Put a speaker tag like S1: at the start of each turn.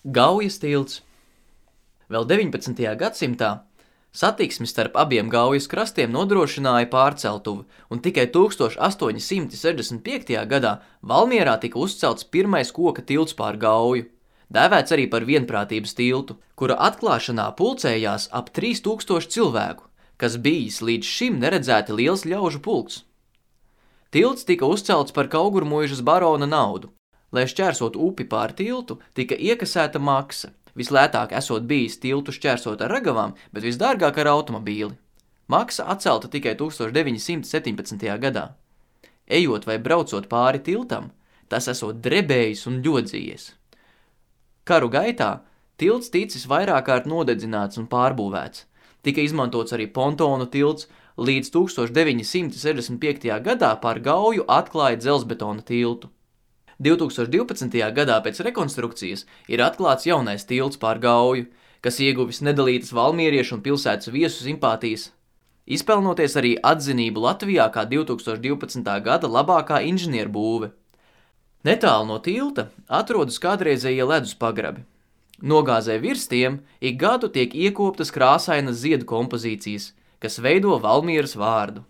S1: Gaujas tilts. Vēl 19. gadsimtā satiksmi starp abiem Gaujas krastiem nodrošināja pārceltuve, un tikai 1865. gadā Valmierā tika uzcelts pirmais koka tilts pār Gauju, dēvēts arī par vienprātības tiltu, kura atklāšanā pulcējās ap 3000 cilvēku, kas bijis līdz šim neredzēti liels ļaužu pulks. Tilts tika uzcelts par Kaugurmuižas barona naudu. Lai šķērsot upi pār tiltu, tika iekasēta maksa. Vislētāk esot bijis tiltu šķērsot ar ragavām, bet visdārgāk ar automobīli. Maksa atcelta tikai 1917. gadā. Ejot vai braucot pāri tiltam, tas esot drebējis un ļodzījies. Karu gaitā tilts ticis vairāk kārt nodedzināts un pārbūvēts. Tika izmantots arī pontonu tilts, līdz 1965. gadā pār Gauju atklāja dzelzbetona tiltu. 2012. gadā pēc rekonstrukcijas ir atklāts jaunais tilts pār Gauju, kas ieguvis nedalītas valmieriešu un pilsētas viesu simpātijas, izpelnoties arī atzinību Latvijā kā 2012. gada labākā inženierbūve. Netālu no tilta atrodas kādreizējie ledus pagrabi. Nogāzē virs tiem ik gadu tiek iekoptas krāsainas ziedu kompozīcijas, kas veido Valmieras vārdu.